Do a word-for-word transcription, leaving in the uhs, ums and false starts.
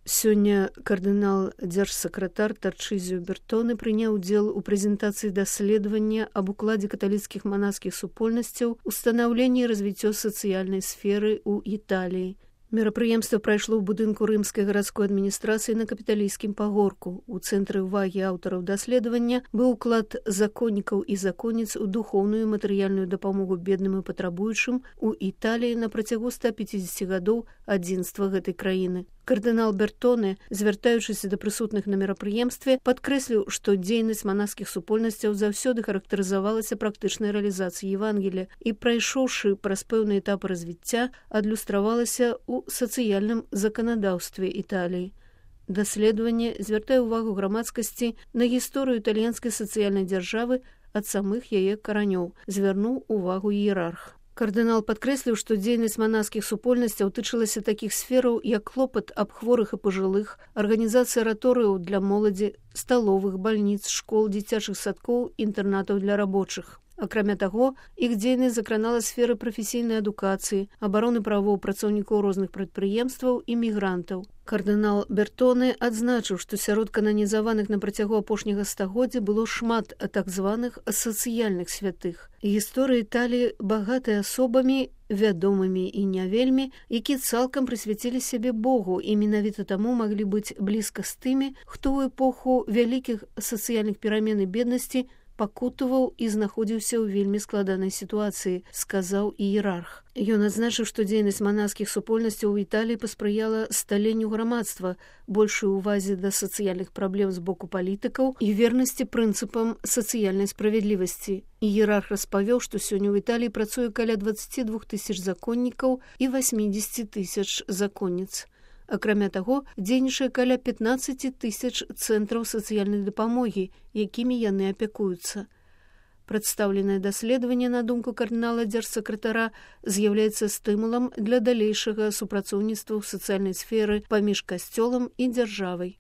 Сёння кардынал-дзяржсакратар Тарчызіо Бертоне прыняў удзел у прэзентацыі даследавання аб укладзе каталіцкіх манаскіх супольнасцяў у станаўленні і развіццё сацыяльнай сферы ў Італіі. Мерапрыемства прайшло ў будынку рымскай гарадской адміністрацыі на капіталійскім пагорку. У цэнтры ўвагі аўтараў даследавання быў уклад законнікаў і законніц у духоўную і матэрыяльную дапамогу бедным і патрабуючым у Італіі на працягу ста пяцідзесяці гадоў адзінства гэтай краіны. Кардынал Бертоне, звяртаючыся да прысутных на мерапрыемстве, падкрэсліў, што дзейнасць манаскіх супольнасцяў заўсёды характарызавалася практычнай рэалізацыяй Евангелія і, прайшоўшы праз пэўны этап развіцця, адлюстравалася ў сацыяльным заканадаўстве Італіі. Даследаванне звяртае ўвагу грамадскасці на гісторыю італьянскай сацыяльнай дзяржавы ад самых яе каранёў, звярнуў увагу іерарх. Кардынал падкрэсліў, што дзейнасць манаскіх супольнасцяў тычылася такіх сфераў, як клопат аб хворых і пажылых, арганізацыя раторыяў для моладзі, сталовых, бальніц, школ, дзіцячых садкоў, інтэрнатаў для рабочых. Акрамя таго, іх дзейнасць закранала сферы прафесійнай адукацыі, абароны правоў працаўнікоў розных прадпрыемстваў і мігрантаў. Кардынал Бертоне адзначыў, што сярод кананізаваных на працягу апошняга стагоддзя было шмат так званых сацыяльных святых. Гісторыя Італіі багатая асобамі, вядомымі і не вельмі, якія цалкам прысвяцілі сябе Богу і менавіта таму маглі быць блізка з тымі, хто ў эпоху вялікіх сацыяльных перамен і беднасці пакутаваў і знаходзіўся ў вельмі складанай сітуацыі, сказаў іерарх. Ён адзначыў, што дзейнасць манаскіх супольнасцяў у Італіі паспрыяла сталенню грамадства, большай увазе да сацыяльных праблем з боку палітыкаў і вернасці прынцыпам сацыяльнай справядлівасці. Іерарх распавёў, што сёння ў Італіі працуе каля дваццаці двух тысяч законнікаў і васьмідзесяці тысяч законніц. Акрамя таго, дзейнічае каля пятнаццаці тысяч цэнтраў сацыяльнай дапамогі, якімі яны апякуюцца. Прадстаўленае даследаванне, на думку кардынала дзяржсакратара, з'яўляецца стымулам для далейшага супрацоўніцтва ў сацыяльнай сферы паміж касцёлам і дзяржавай.